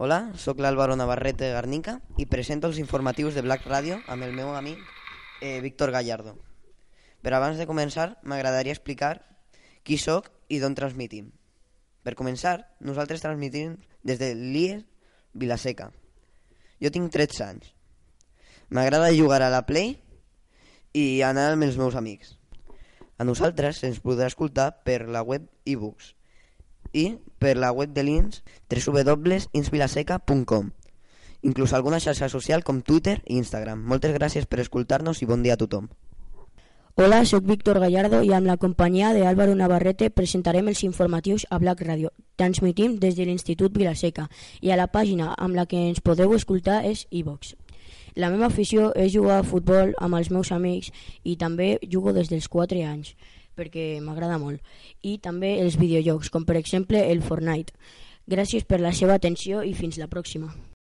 Hola, sóc l'Álvaro Navarrete Garnica i presento els informatius de Black Radio amb el meu amic Víctor Gallardo. Però abans de començar, m'agradaria explicar qui sóc i d'on transmitim. Per començar, nosaltres transmitim des de l'IES Vila-seca. Jo tinc 13 anys. M'agrada jugar a la Play i anar amb els meus amics. A nosaltres se'ns podrà escoltar per la web iBooks i per la web de l'INS www.insvilaseca.com, inclús alguna xarxa social com Twitter i Instagram. Moltes gràcies per escoltar-nos i bon dia a tothom. Hola, soc Víctor Gallardo i amb la companyia d'Álvaro Navarrete presentarem els informatius a Black Radio. Transmitim des de l'Institut Vila-seca i a la pàgina amb la que ens podeu escoltar és iVox. La meva afició és jugar a futbol amb els meus amics i també jugo des dels 4 anys perquè m'agrada molt, i també els videojocs, com per exemple el Fortnite. Gràcies per la seva atenció i fins la pròxima.